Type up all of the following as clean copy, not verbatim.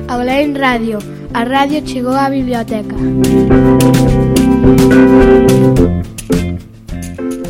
Aulain Radio. A radio chegou á biblioteca.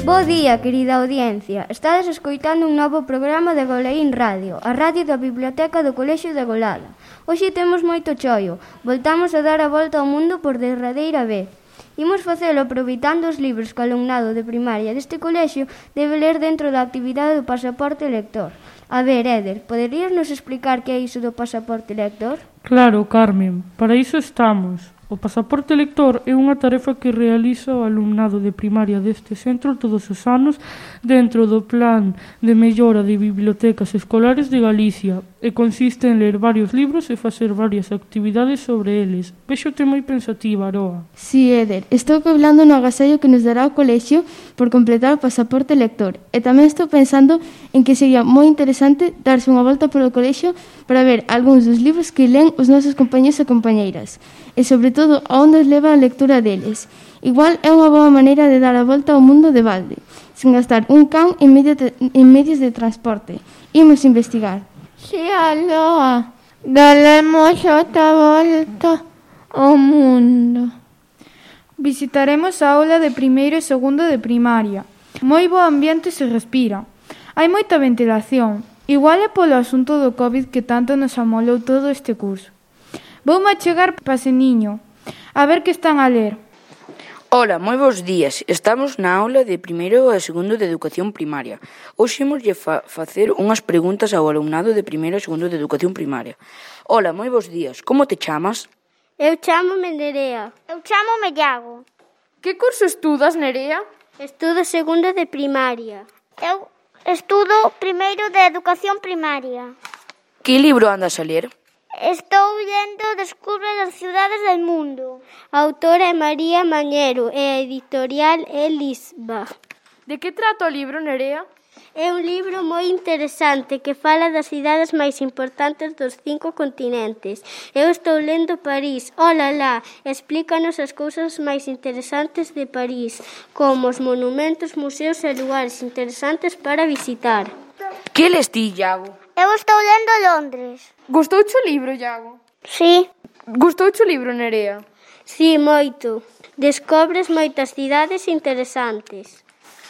Bo día, querida audiencia. Estades escoitando un novo programa de Goleín Radio, a radio da Biblioteca do Colexio de Golada. Hoxe temos moito choio. Voltamos a dar a volta ao mundo por derradeira vez. Imos facelo aproveitando os libros que o alumnado de primaria deste colexio debe ler dentro da actividade do pasaporte lector. A ver, Éder, poderías nos explicar que é iso do pasaporte lector? Claro, Carmen, para iso estamos. O pasaporte lector é unha tarefa que realiza o alumnado de primaria deste centro todos os anos dentro do Plan de Mellora de Bibliotecas Escolares de Galicia e consiste en ler varios libros e facer varias actividades sobre eles. Vexote moi pensativa, Aroa. Si, Éder, estou cobrando no agasallo que nos dará o colexio por completar o pasaporte lector e tamén estou pensando en que sería moi interesante darse unha volta polo colexio para ver algúns dos libros que len os nosos compañeros e compañeiras e, sobre todo, a onde os leva a lectura deles. Igual é unha boa maneira de dar a volta ao mundo de balde, sen gastar un can en medios de transporte. Imos investigar. Si, Aloa, daremos outra volta ao mundo. Visitaremos a aula de primeiro e segundo de primaria. Moi bo ambiente se respira. Hai moita ventilación. Igual é polo asunto do COVID que tanto nos amolou todo este curso. Voume achegar paseniño, a ver que están a ler. Ola, moi bons días. Estamos na aula de primeiro e segundo de educación primaria. Hoxe imoslle facer unhas preguntas ao alumnado de primeiro e segundo de educación primaria. Ola, moi bons días. Como te chamas? Eu chámome Nerea. Eu chámome Iago. Que curso estudas, Nerea? Estudo segundo de primaria. Eu estudo primeiro de educación primaria. Que libro andas a ler? Estou lendo Descubre as cidades del mundo. A autora é María Mañero e a editorial é Lisba. De que trata o libro, Nerea? É un libro moi interesante que fala das cidades máis importantes dos 5 continentes. Eu estou lendo París. Olala, explícanos as cousas máis interesantes de París, como os monumentos, museos e lugares interesantes para visitar. Que les ti, Iago? Eu estou lendo Londres. Gustouche o libro, Iago? Sí. Gustouche o libro, Nerea? Sí, moito. Descobres moitas cidades interesantes.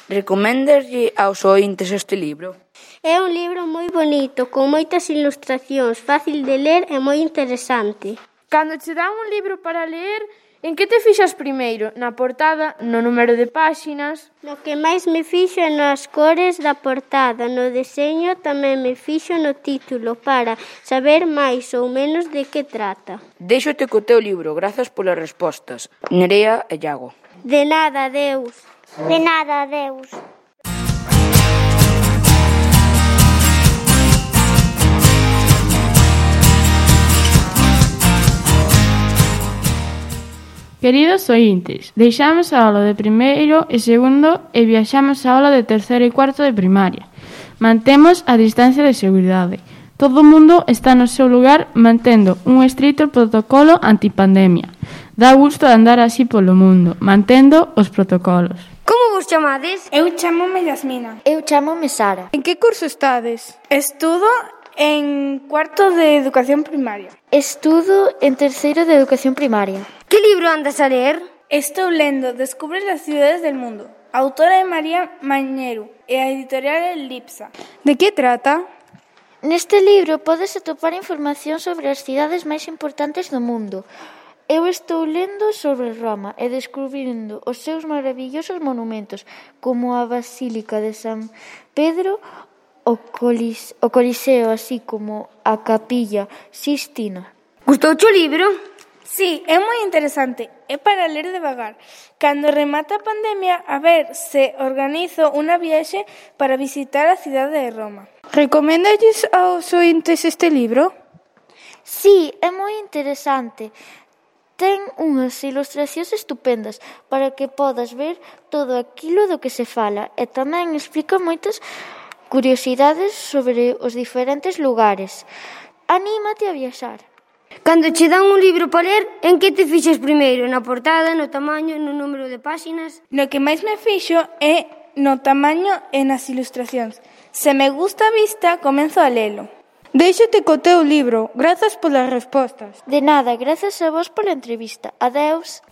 Recoméndaslle aos ointes este libro? É un libro moi bonito, con moitas ilustracións, fácil de ler e moi interesante. Cando che dan un libro para ler, en que te fixas primeiro? Na portada, no número de páxinas? No que máis me fixo é nas cores da portada, no deseño tamén me fixo no título para saber máis ou menos de que trata. Déixote co teu libro, grazas polas respostas. Nerea e Iago. De nada, adeus. De nada, adeus. Queridos ointes, deixamos a aula de primeiro e segundo e viaxamos a aula de terceiro e cuarto de primaria. Mantemos a distancia de seguridade. Todo o mundo está no seu lugar mantendo un estrito protocolo antipandemia. Dá gusto andar así polo mundo, mantendo os protocolos. Como vos chamades? Eu chámome Yasmina. Eu chámome Sara. En que curso estades? Estudo en cuarto de educación primaria. Estudo en terceiro de educación primaria. Que libro andas a ler? Estou lendo Descubre as cidades del mundo. A autora é María Mañero e a editorial é Lipsa. De que trata? Neste libro podes atopar información sobre as cidades máis importantes do mundo. Eu estou lendo sobre Roma e descubrindo os seus maravillosos monumentos, como a Basílica de San Pedro, o Coliseo, así como a Capilla Sistina. Gustouche o libro? Sí, é moi interesante. É para ler devagar. Cando remata a pandemia, a ver se organizo unha viaxe para visitar a cidade de Roma. Recoméndalles aos ointes este libro? Sí, é moi interesante. Ten unhas ilustracións estupendas para que podas ver todo aquilo do que se fala e tamén explica moitas curiosidades sobre os diferentes lugares. Anímate a viaxar. Cando che dan un libro para ler, en que te fixes primeiro? Na portada, no tamaño, no número de páxinas? No que máis me fixo é no tamaño e nas ilustracións. Se me gusta a vista, comenzo a lelo. Déixate co teu libro. Grazas polas respostas. De nada, grazas a vos pola entrevista. Adeus.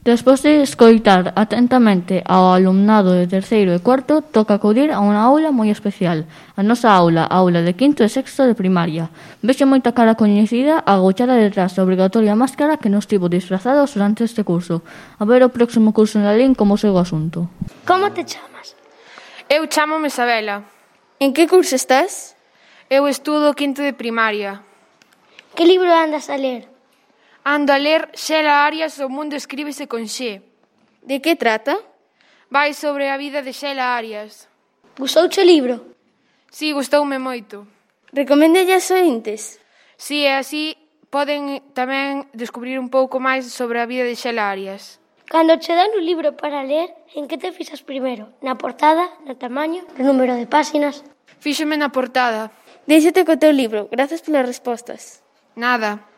Despois de escoitar atentamente ao alumnado de terceiro e cuarto, toca acudir a unha aula moi especial. A nosa aula, a aula de quinto e sexto de primaria. Vexe moita cara coñecida agochada detrás da obrigatoria máscara que nos tivo disfrazados durante este curso. A ver o próximo curso na LIN como segue o asunto. Como te chamas? Eu chámome Isabela. En que curso estás? Eu estudo quinto de primaria. Que libro andas a ler? Ando a ler Xela Arias, O mundo escríbese con Xe. De que trata? Vai sobre a vida de Xela Arias. Gustouche o libro? Si, gustoume moito. Recoméndelle aos ointes? Si, e así poden tamén descubrir un pouco máis sobre a vida de Xela Arias. Cando che dan un libro para ler, en que te fixas primeiro? Na portada, no tamaño, no número de páxinas? Fíxome na portada. Déixate co teu libro. Grazas polas respostas. Nada.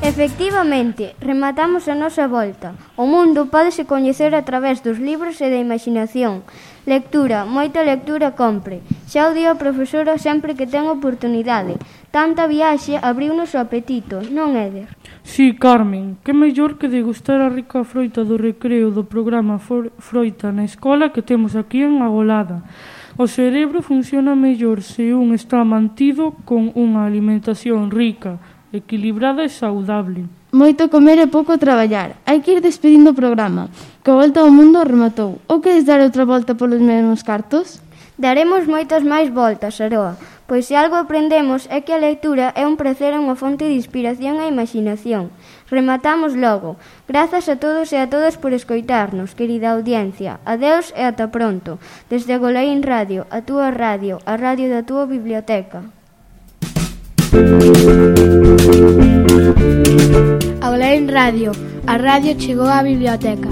Efectivamente, rematamos a nosa volta. O mundo pódese coñecer a través dos libros e da imaginación. Lectura, moita lectura compre. Xa o di a profesora sempre que ten oportunidade. Tanta viaxe abriu-nos o apetito, non, Éder? Sí, Carmen, que mellor que degustar a rica froita do recreo do programa Froita na escola que temos aquí en Agolada. O cerebro funciona mellor se un está mantido con unha alimentación rica, equilibrada e saudable. Moito comer e pouco traballar. Hai que ir despedindo o programa. Que a volta ao mundo rematou. Ou queres dar outra volta polos mesmos cartos? Daremos moitas máis voltas, Aroa, pois se algo aprendemos é que a lectura é un prazer e unha fonte de inspiración e imaginación. Rematamos logo. Grazas a todos e a todas por escoitarnos, querida audiencia. Adeus e ata pronto. Desde Agolaín Radio, a túa radio, a radio da túa biblioteca. Agolaín Radio, a radio chegou á biblioteca.